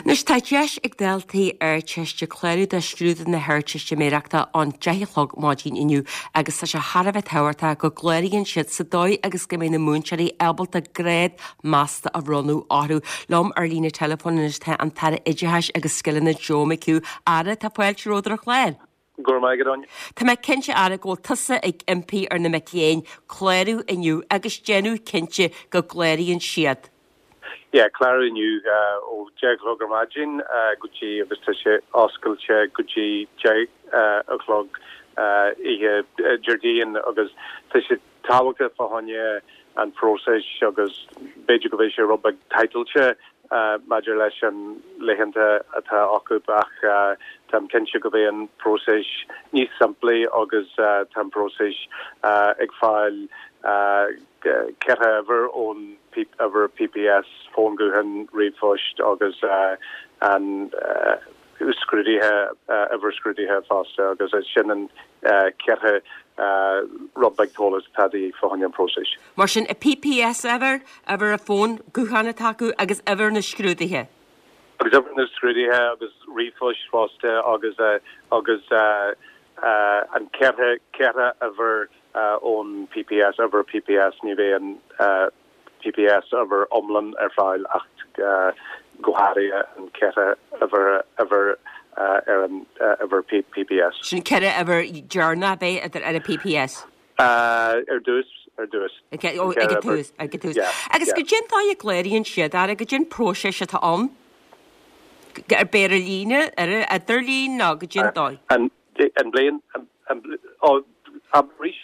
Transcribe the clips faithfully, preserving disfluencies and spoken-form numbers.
Anois tá deis ag daltaí Ardteiste clárú do scrúdú na hArdteistiméireachta ón deich a chlog maidin inniu agus tá sé thar a bheith tábhachtach go gcláraíonn siad sa dóigh agus go mbeidh na múinteoirí ábalta grád measta a bhronnadh orthu. Liom ar líne teileafóin anois tá an tAire Oideachais agus Scileanna Joe McHugh. Aire, tá fáilte romhat ar an chlár. Go raibh maith agat, Áine. Tá mé cinnte Aire go bhfuil tusa ag impí ar na mic léinn clárú inniu agus déanamh cinnte go gcláraíonn siad. Yeah, clárú inniu ó deich a chlog ar maidin go dtí agus tá sé oscailte go dtí deich a chlog oíche Déardaoin agus tá sé tábhachtach fá choinne an próiseas agus b'fhéidir go bhfuil sé rud beag tightáilte maidir leis an laethanta atá acu ach táim cinnte go bheidh an próiseas níos simplí agus tá an próiseas ag fáil ceithre uimhir ón uimhir PPS fón gutháin ríomhphost agus an scrúduithe uimhir scrúduithe fosta agus sin an ceithre rud beag eolas atá de dhíth fá choinne an próiseas. Mar sin a PPS uimhir, uimhir a fón gutháin atá acu agus uimhir na scrúduithe. Agus uimhir na scrúduithe agus ríomhphost fosta agus agus an ceithre ceithre uimhir ón PPS uimhir PPS ní bheidh an PPS uimhir iomlán ar fáil ach go háirithe an ceithre uimhir uimhir ar an uimhir PPS. Sin ceithre uimhir deireanach bheith idir ar an PPS. Ar dtús ar dtús. Ag an tús ag an tús. Agus goidé an dóigh a gcláraíonn siad Aire goidé an próiseas atá ann ar bith ar líne ar idirlíon nó goidé an dóigh. An an bliain arís?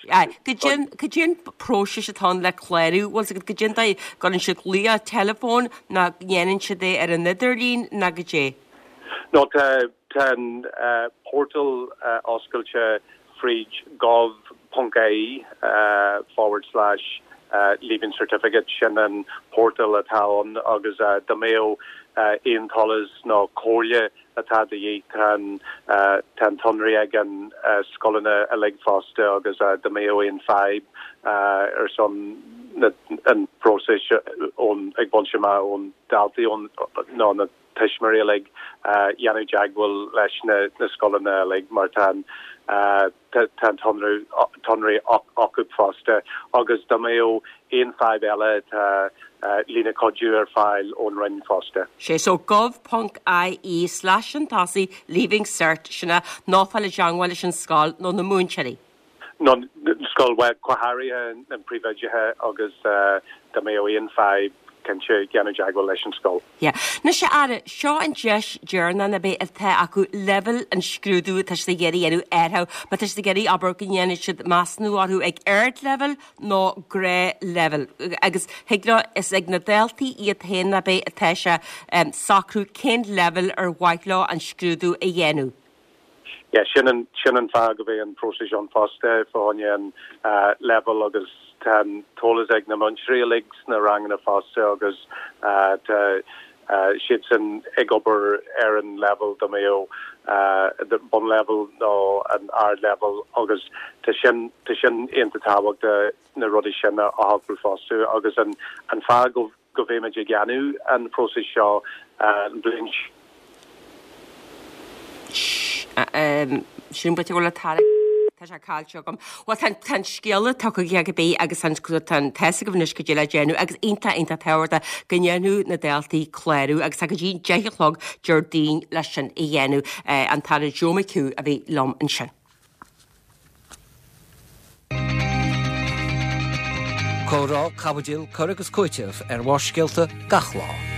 Goidé an próiseas atá ann le clárú bhfuil goidé an dóigh gcuireann siad glaoch teileafóin nó dhéanann siad é ar an idirlíon nó goidé. No tá tá an portal oscailte fríd gov.ie forward slash leaving certificate sin an portal atá ann agus dá mbeadh aon eolas nó comhairle atá de dhíth tá tá an tsonraí ag an scoileanna uilig fosta agus dá mbeadh aon fadhb ar son an próiseas ón ag baint amach ón daltaí ón nó na tuismitheoirí uilig dhéanamh teagmháil leis na na scoileanna uilig mar tá tá an tsonraí acu fosta agus dá mbeadh aon fadhb eile tá líne cuidiú ar fáil ón Roinn fosta. Sé so gov.ie slash an tosaigh leaving cert sinna ná fáil i dteagmháil leis an scoil nó na múinteoirí. No scoil go háirithe an príomhoide agus dá mbeadh aon fadhb cinnte déanamh teagmháil leis an scoil. Yeah. Anois a Aire, seo an deis deireanach na beidh atá acu leibhéal an scrúdú atá siad ag iarraidh dhéanamh orthu, má tá siad ag iarraidh abair go ndéanfaidh siad measúnú orthu ag ardleibhéal nó gnáthleibhéal. Agus thig leo is ag na daltaí iad féin na beidh atá sé um, socrú cén leibhéal ar mhaith leo an scrúdú a dhéanamh. Yeah, sin an sin an fáth go bhfuil an próiseas an fosta fá choinne an uh, level agus tá an t-eolas ag na múinteoirí uilig sna ranganna fosta agus uh, tá uh, siad sin ag obair ar an level dá mbeadh uh, bunlevel nó an ard level agus tá sin tá sin iontach tábhachtach na rudaí sin a shocrú fosta agus an an fáth go go bhfuilimid ag déanamh an próiseas seo uh, an bliain sin bit go le tar Tá sé caillte agam. Well tá an scéala tugtha ag bé agus an an test go bhnis go dtí le déanamh agus iontach iontach tábhachtach go ndéanadh na daltaí clárú agus go dtí deich a chlog Déardaoin leis sin a dhéanamh an tAire Joe McHugh a bhí liom ansin. Comhrá caibidil cur agus cúiteamh ar Bharrscéalta gach lá.